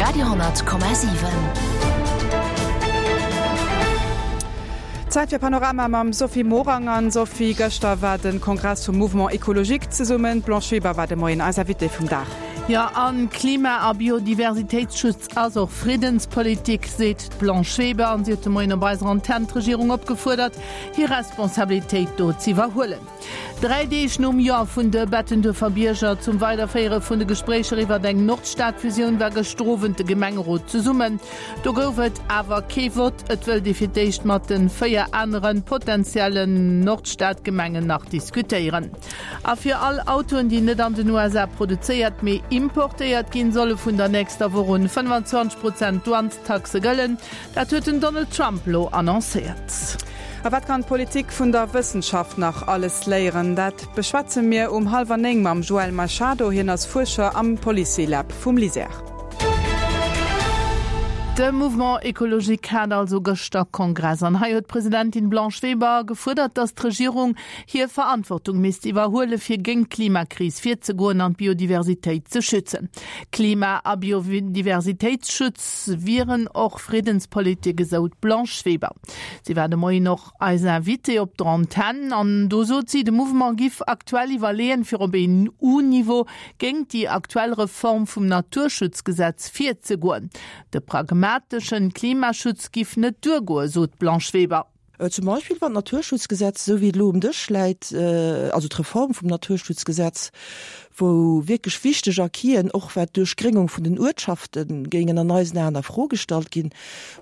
Radio,7. Zäit fir Panorama mam Sophie Morang. An Sophie, gëschter war de Kongress vum Mouvement Ecologique zesummen. D'Blanche Weber war de Moien eis Invitée vum Dag. Jo, an Klima a Biodiversitéitsschutz ass och Friddenspolitik, seet d'Blanche Weber. An si huet de Moien op eiser Antenn d'Regierung opgefuerdert, hir Responsabilitéit do z'iwwerhuelen. Dräi Deeg nom Jo vun de Bettenduerfer Bierger zum Weiderféiere vun de Gespréicher iwwert eng Nordstadfusioun war gëschter Owend de Gemengerot zesummen. Do gouf et awer kee Vott. Et wëllt ee fir d'éischt mat de 4 anere potentiellen Nordstadgemengen nach diskutéieren. A fir all Autoen, déi net an den USA produzéiert, mee importéiert ginn, solle vun der nächster Woch un 25 Prozent Douanestaxe gëllen. Dat huet den Donald Trump lo annoncéiert. A wat kann d'Politik vun der Wëssenschaft nach alles léieren? Dat beschwätze mir um hallwer 9 mam Joël Machado. Hien ass Fuerscher am Policy Lab vum LISER. De Mouvement Ecologique hat also gëschter Kongress an hei huet d'Presidentin Blanche Weber gefuerdert, datt d'Regierung hir Verantwortung misst iwwerhuele fir géint d'Klimakris virzegoen an d'Biodiversitéit ze schützen. Klima a Biodiversitéitsschutz wieren och Friddenspolitik, esou d'Blanche Weber. Si war de Moien och eis Invitée op der Antenn an do sot si, de Mouvement giff aktuell iwwerleeën, fir op EU-Niveau géingt déi aktuell Reform vum Naturschutzgesetz virzegoen. De pragmateschen Klimaschutz giff net duergoen, sot d'Blanche Weber. Zum Beispill wann d'Naturschutzgesetz, esou wéi et elo um Dësch läit, also d'Reform vum Naturschutzgesetz, wou wierklech wichteg Acquisen, och wat d'Duerchgréngung vun den Uertschafte géingen an eisen Aen a Fro gestallt ginn,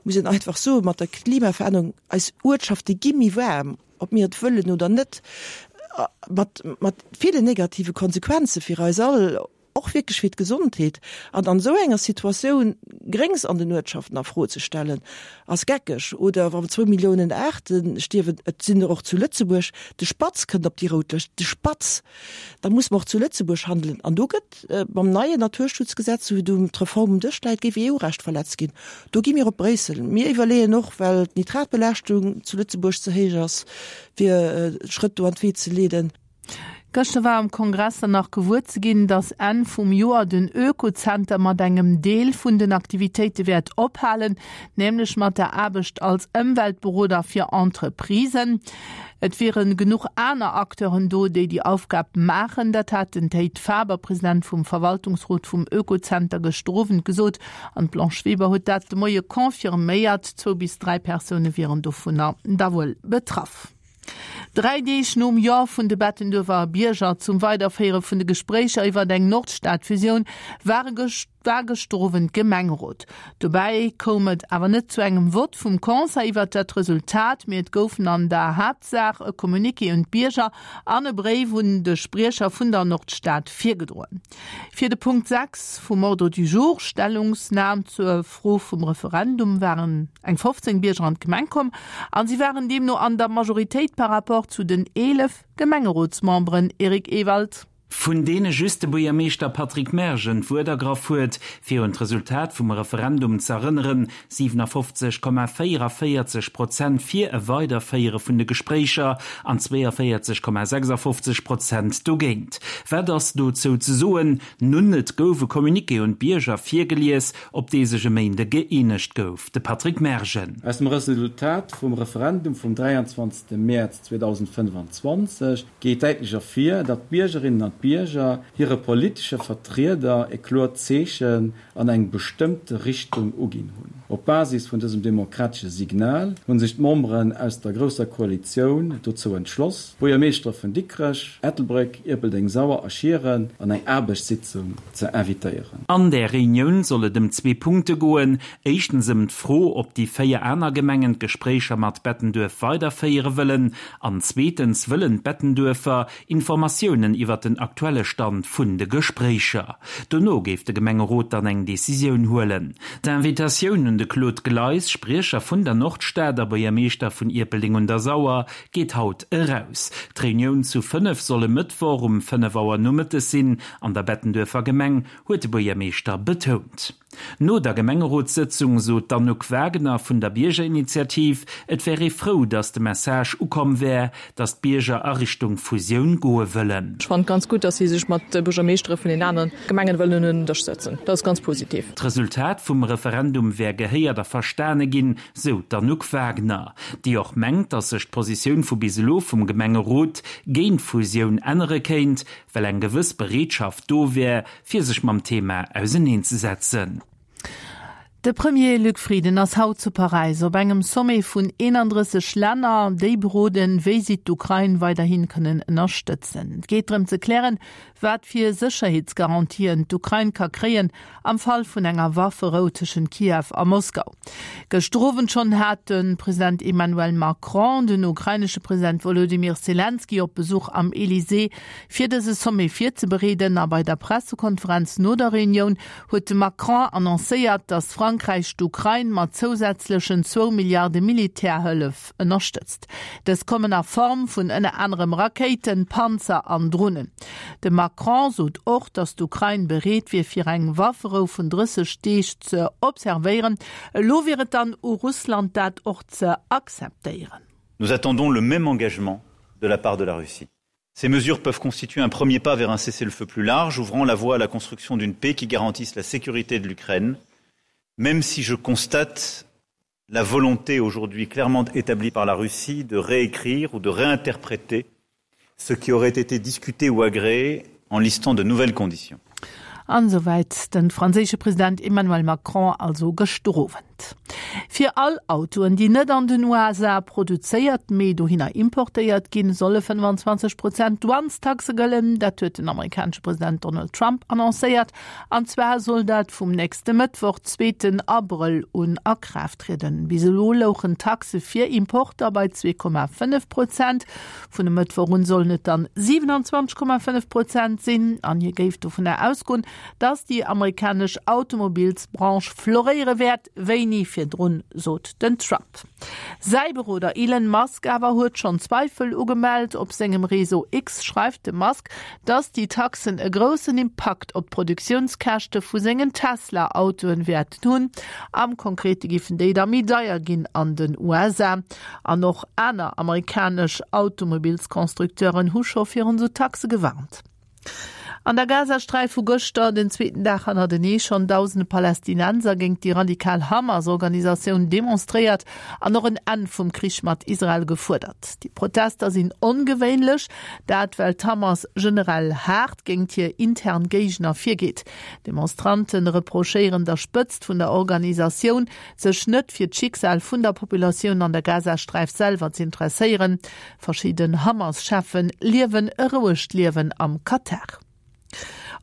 muss een einfach soen, mat der Klimaverännerung, eis Uertschafte gi méi waarm, ob mir et wëllen oder net, mat, mat ville negative Konsequenze fir eis all. Och wierklech fir d'Gesondheet. An an esou enger Situatioun Gréngs an den Uertschaften a Fro ze stellen, ass geckeg. Oder wann zwou Milliounen Aarte stierwen, et sinn der och zu Lëtzebuerg, de Spatz kënnt op déi rout Lëscht, de Spatz! Da muss mer och zu Lëtzebuerg handelen. An do gëtt mam neien Naturschutzgesetz, esou wéi do d'Reform um Dësch läit, géif EU-Recht verletzt ginn. Do gi mir op Bréissel. Mir iwwerleeën och, well d'Nitratbelaaschtung zu Lëtzebuerg ze héich ass, fir Schrëtt do an d'Wee ze leeden. Gëschter war am Kongress dann nach gewuer ze ginn, dass Enn vum Joer den Oekozenter mat engem Deel vun den Aktivitéite wäert ophalen, nämlech mat der Aarbecht als Ëmweltberoder fir Entreprisen. Et wiere genuch aner Acteuren do, déi déi Aufgab maachen. Dat hat den Théid Faber, President vum Verwaltungsrot vum Oekozenter, gëschter Owend gesot. An d'Blanche Weber huet dat de Moie confirméiert. Zwou bis 3 Persoune wieren dovunner da wuel betraff. Dräi Deeg nom Jo vun de Bettenduerfer Bierger zum Weiderféiere vun de Gespréicher iwwert eng Nordstad-Fusioun ware war gëschter Owend Gemengerot. Dobäi koum et awer net zu engem Vott vum Conseil iwwert dat Resultat, mee et goufen an der Haaptsaach e Communiqué un d'Bierger an e Bréif un de Spriecher vun der Nordstad virgedroen. Fir de Punkt 6 vum Ordre du jour, Stellungsnam zur Fro vum Referendum, waren eng 15 Bierger an d'Gemeng komm a si waren deemno an der Majoritéit par rapport zu den 11 Gemengerotsmemberen. Eric Ewald. Vun deene just de Buergermeeschter Patrick Mergen d'Wuert ergraff huet, fir un d'Resultat vum Referendum z'erënneren, 57,44 Prozent fir e Weiderféiere vun de Gespréicher an 42,56 Prozent dogéint. Wat ass dozou ze soen? Nun, et gouf e Communiqué un d'Bierger virgelies, op dee sech e Méinde gëeenegt gouf. De Patrick Mergen. Aus dem Resultat vum Referendum vum 23 Mäerz 2025 geet däitlech ervir, datt d'Biergerinnen an d'Bierger hire politesche Vertrieder e kloert Zeechen an eng bestëmmte Richtung uginn hunn. Op Basis vun dësem demokratesche Signal hu sech d'Memberen aus der Grousser Koalitioun dozou entschloss, d'Buergermeeschtere vun Dikrech, Ettelbréck, Ierpeldeng, Sauer a Schieren an eng Aarbechtssitzung ze invitéieren. An där Reunioun soll et ëm zwee Punkte goen, éischtens ëm d'Fro, ob déi 4 aner Gemengen d'Gespréicher mat Bettenduerf weiderféiere wëllen, an zweetens wëllen d'Bettenduerfer Informatiounen iwwert den aktuelle Stand vun de Gespréicher. Dono géif de Gemengerot dann eng Decisioun huelen. D'Invitatioun un de Claude Gleis, Spriecher vun der Nordstad a Buergermeeschter vun Ierpeldeng un der Sauer, geet haut eraus. D'Reunioun zu 5 soll e Mëttwoch um 5 Auer nomëttes sinn an der Bettenduerfer Gemeng, huet de Buergermeeschter betount. No der Gemengerotssëtzung sot d'Anouk Wagener vun der Biergerinitiativ, et wär ee frou, datt de Message ukomm wär, datt d'Bierger a Richtung Fusioun goe wëllen. Ech fannen et ganz gutt, datt si sech mat de Buergermeeschtere vun den aneren Gemengen wëllen un en Dësch sëtzen. Dat ass ganz positiv. D'Resultat vum Referendum wär gehéiert a verstane ginn, sou d'Anouk Wagener, déi och mengt, datt sech d'Positioun vu bis elo vum Gemengerot géint d'Fusioun ännere kéint, well eng gewëss Bereetschaft do wär, fir sech mam Thema auserneenzesetzen. De Premier Luc Frieden ass haut zu Paräis op engem Sommet vun 31 Länner, déi beroden, wéi si d'Ukrain weiderhi kënnen ënnerstëtzen. Et geet drëm ze klären, wat fir Sécherheetsgarantien d'Ukrain ka kréien am Fall vun enger Wafferou tëschent Kiew a Moskau. Gëschter Owend schonn hat de President Emmanuel Macron den ukrainesche President Wolodymyr Selenskyj op Besuch am Elysée Fir dëse Sommet virzebereeden a bei der Pressekonferenz no der Reunioun huet de Macron annoncéiert, datt Frankräich d'Ukrain mat zousätzlechen zwou Milliarde Militärhëllef ënnerstëtzt. Dës kommen a Form vun ënner anerem Rakéiten, Panzer an Dronen. De Macron sot och, datt d'Ukrain bereet wier fir eng Wafferou vun 30 Deeg ze observéieren. Elo wier et dann u Russland dat och ze akzeptéieren. Nous attendons le même engagement de la part de la Russie. Ces mesures peuvent constituer un premier pas vers un cessez-le-feu plus large, ouvrant la voie à la construction d'une paix qui garantisse la sécurité de l'Ukraine, même si je constate la volonté aujourd'hui clairement établie par la Russie de réécrire ou de réinterpréter ce qui aurait été discuté ou agréé en listant de nouvelles conditions. An esouwäit de franséische President Emmanuel Macron also gëschter Owend. Fir all Autoen, déi net an den USA produzéiert, mee dohinner importéiert ginn, solle 25 Prozent Douanestaxe gëllen. Dat huet den amerikanesche President Donald Trump annoncéiert. An zwar soll dat vum nächste Mëttwoch, zweeten Abrëll, un a Kraaft trieden. Bis elo louchen d'Taxe fir Importer bei 2,5 Prozent. Vun e Mëttwoch un sollen et dann 27,5 Prozent sinn. An hie géif dovunner ausgoen, datt déi amerikanesch Automobilsbranche floréiere wäert wéi ni virdrun, sot den Trump. Säi Beroder Elon Musk awer huet schonn Zweifel ugemellt. Op sengem Réseau X schreift de Musk, datt déi Taxen e groussen Impakt op d'Produktiounskäschte vu sengen Tesla-Autoen wäerten hunn. Am Konkrete giffen déi da méi deier ginn an den USA. An och aner amerikanesch Automobilsconstructeuren hu scho virun esou Taxe gewarnt. An der Gazasträif hu gëschter den zweeten Dag hannertenee schonn dausende Palästinenser géint déi radikal Hamas-Organisatioun demonstréiert an och en Enn vum Krich mat Israel gefuerdert. Déi Protester sinn ongewéinlech, dat well d'Hamas generell haart géint hir intern Géigner virgeet. Demonstrante reprochéieren der Spëtzt vun der Organisatioun, sech net fir d'Schicksal vun der Populatioun an der Gazasträif selwer z'interesséieren. Verschidden Hamas-Cheffe liewen e rouegt Liewen am Katar.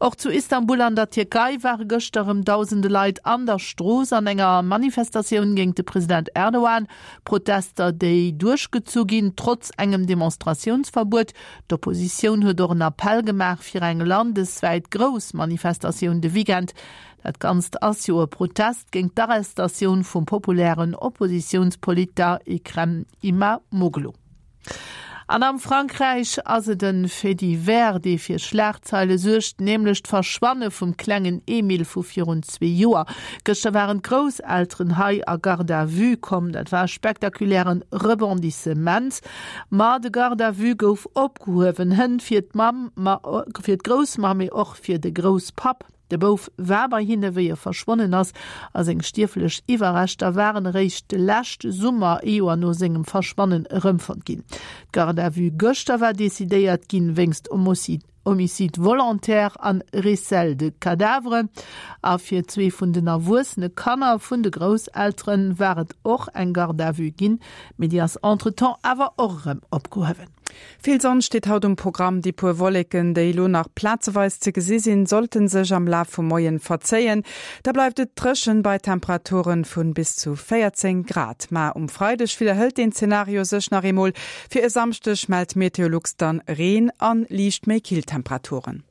Och zu Istanbul an der Tierkei ware gëschter erëm dausende Leit an der Strooss an enger Manifestatioun géint de President Erdogan. Protester, déi duerchgezu ginn, trotz engem Demonstratiounsverbuet. D'Oppositioun huet och en Appell gemaach fir eng landeswäit grouss Manifestatioun de Weekend. Dat Ganzt ass jo e Protest géint d'Arrestatioun vum populären Oppositiounspoliter Ekrem Imamoglu. An am Frankräich ass et e Fait divers, dee fir Schlagzeile suergt, nämlech d'Verschwanne vum klengen Emile vu virun zwee Joer. Gëschter waren d'Grousselteren hei a Garde à vue komm. Dat war e spektakuläre Rebondissement. Ma de Garde à vue gouf opgehuewen, hënt fir d'Mamm, ma fir d'Groussmamm, mee och fir de Grousspapp. De Bouf war bei hinne wéi e verschwonnen ass, a seng stierflech Iwwerreschter waren eréischt de leschte Summer, ee Joer no sengem Verschwannen, erëmfonnt ginn. D'Garde à vue gëschter war decidéiert ginn wéinst Homicide volontaire an Recel de cadavre. A fir zwee vun den erwuessene Kanner vun de Grousseltere war et och eng Garde à vue ginn, mee déi ass entretemps awer och erëm opgehuewen. Vill Sonn steet haut um Programm. Déi puer Wolleken, déi elo nach plazeweis ze gesi sinn, sollte sech am Laf vum Moien verzéien. Da bleift et dréchen bei Temperaturen vun bis zu 14 Grad. Ma um Freideg widderhëlt deen Zenario sech nach eemol. Fir e Samschdeg mellt Meteolux dann Reen an liicht méi kill Temperaturen.